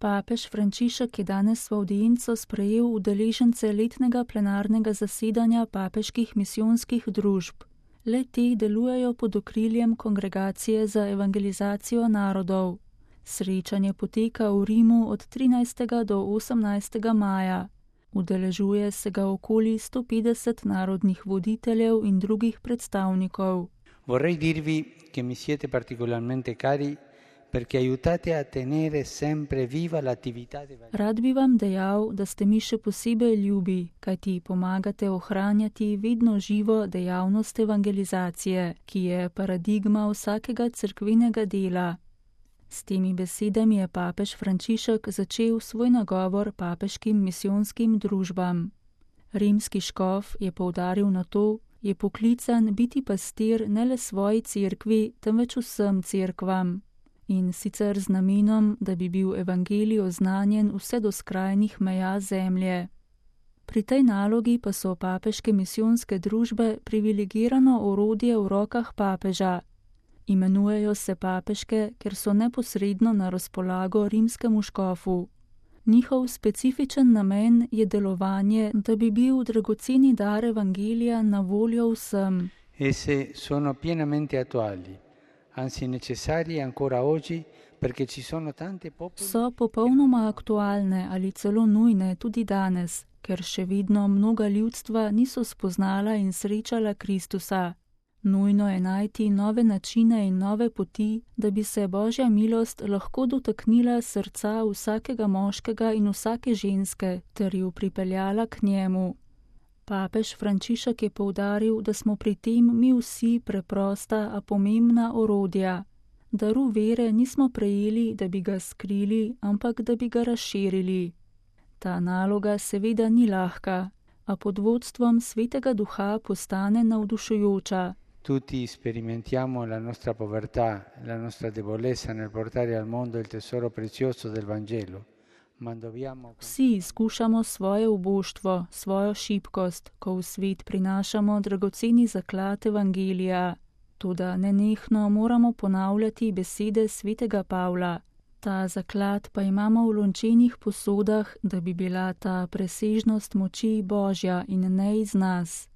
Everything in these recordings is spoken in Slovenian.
Papež Frančišek je danes v avdienco sprejel udeležence letnega plenarnega zasedanja papeških misijonskih družb. Le-te delujejo pod okriljem Kongregacije za evangelizacijo narodov. Srečanje poteka v Rimu od 13. do 18. maja. Udeležuje se ga okoli 150 narodnih voditeljev in drugih predstavnikov. Vorrei dirvi che mi siete particolarmente cari perché aiutate a tenere sempre viva l'attività evangelistica. Rad bi vam dejal, da ste mi še posebej ljubi, kajti pomagate ohranjati vedno živo dejavnost evangelizacije, ki je paradigma vsakega cerkvenega dela. S temi besedami je papež Frančišek začel svoj nagovor papeškim misijonskim družbam. Rimski škof je poudaril na to, je poklican biti pastir ne le svoji cerkvi, temveč vsem cerkvam. In sicer z namenom, da bi bil evangelij oznanjen vse do skrajnih meja zemlje. Pri tej nalogi pa so papeške misijonske družbe privilegirano orodje v rokah papeža. Imenujejo se papeške, ker so neposredno na razpolago rimskemu škofu. Njihov specifičen namen je delovanje, da bi bil dragoceni dar evangelija na voljo vsem. Esse sono pienamente attuali, anzi necessarie ancora oggi, perché ci sono tante popoli. So popolnoma aktualne ali celo nujne tudi danes, ker še vedno mnoga ljudstva niso spoznala in srečala Kristusa. Nujno je najti nove načine in nove poti, da bi se Božja milost lahko dotaknila srca vsakega moškega in vsake ženske ter ju pripeljala k njemu. Papež Frančišek je poudaril, da smo pri tem mi vsi preprosta, a pomembna orodja. Daru vere nismo prejeli, da bi ga skrili, ampak da bi ga razširili. Ta naloga seveda ni lahka, a pod vodstvom Svetega Duha postane navdušujoča. Tutti sperimentiamo la nostra povertà, la nostra debolezza nel portare al mondo il tesoro prezioso del Vangelo. Vsi izkušamo svoje uboštvo, svojo šibkost, ko v svet prinašamo dragoceni zaklad evangelija. Toda nenehno moramo ponavljati besede svetega Pavla. Ta zaklad pa imamo v lončenih posodah, da bi bila ta presežnost moči Božja in ne iz nas.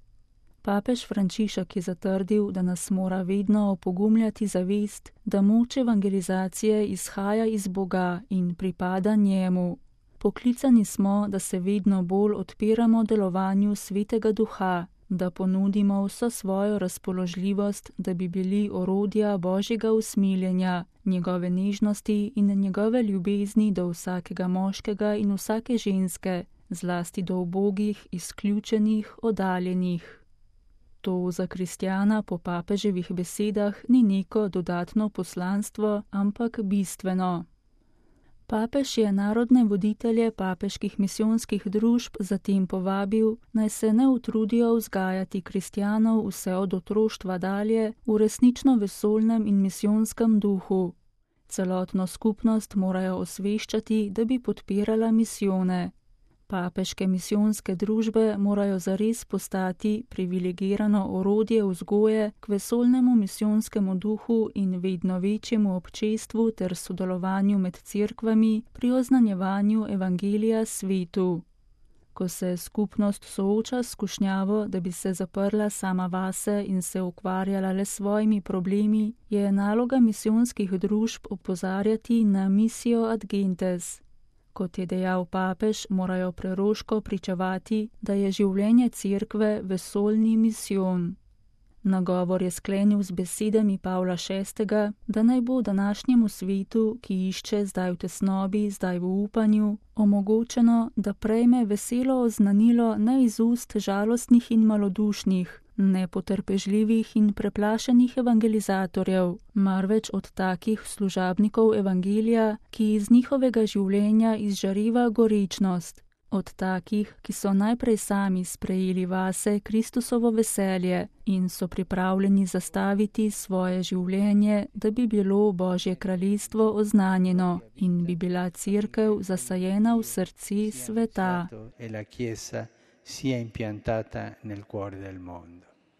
Papež Frančišek je zatrdil, da nas mora vedno opogumljati zavest, da moč evangelizacije izhaja iz Boga in pripada njemu. Poklicani smo, da se vedno bolj odpiramo delovanju Svetega Duha, da ponudimo vso svojo razpoložljivost, da bi bili orodja Božjega usmiljenja, njegove nežnosti in njegove ljubezni do vsakega moškega in vsake ženske, zlasti do ubogih, izključenih, oddaljenih. To za kristjana po papeževih besedah ni neko dodatno poslanstvo, ampak bistveno. Papež je narodne voditelje papeških misijonskih družb zatem povabil, naj se ne utrudijo vzgajati kristjanov vse od otroštva dalje v resnično vesoljnem in misijonskem duhu. Celotno skupnost morajo osveščati, da bi podpirala misijone. Papeške misijonske družbe morajo zares postati privilegirano orodje vzgoje k vesoljnemu misijonskemu duhu in vedno večjemu občestvu ter sodelovanju med cerkvami pri oznanjevanju evangelija svetu. Ko se skupnost sooča s skušnjavo, da bi se zaprla sama vase in se ukvarjala le s svojimi problemi, je naloga misijonskih družb opozarjati na misijo ad gentes. Kot je dejal papež, morajo preroško pričevati, da je življenje cerkve vesoljni misijon. Nagovor je sklenil z besedami Pavla VI., da naj bo današnjemu svetu, ki išče zdaj v tesnobi, zdaj v upanju, omogočeno, da prejme veselo oznanilo ne iz ust žalostnih in malodušnih, nepotrpežljivih in preplašenih evangelizatorjev, marveč od takih služabnikov evangelija, ki iz njihovega življenja izžareva gorečnost, od takih, ki so najprej sami sprejeli vase Kristusovo veselje in so pripravljeni zastaviti svoje življenje, da bi bilo Božje kraljestvo oznanjeno in bi bila cerkev zasajena v srci sveta. E la Chiesa sia impiantata nel cuore del mondo.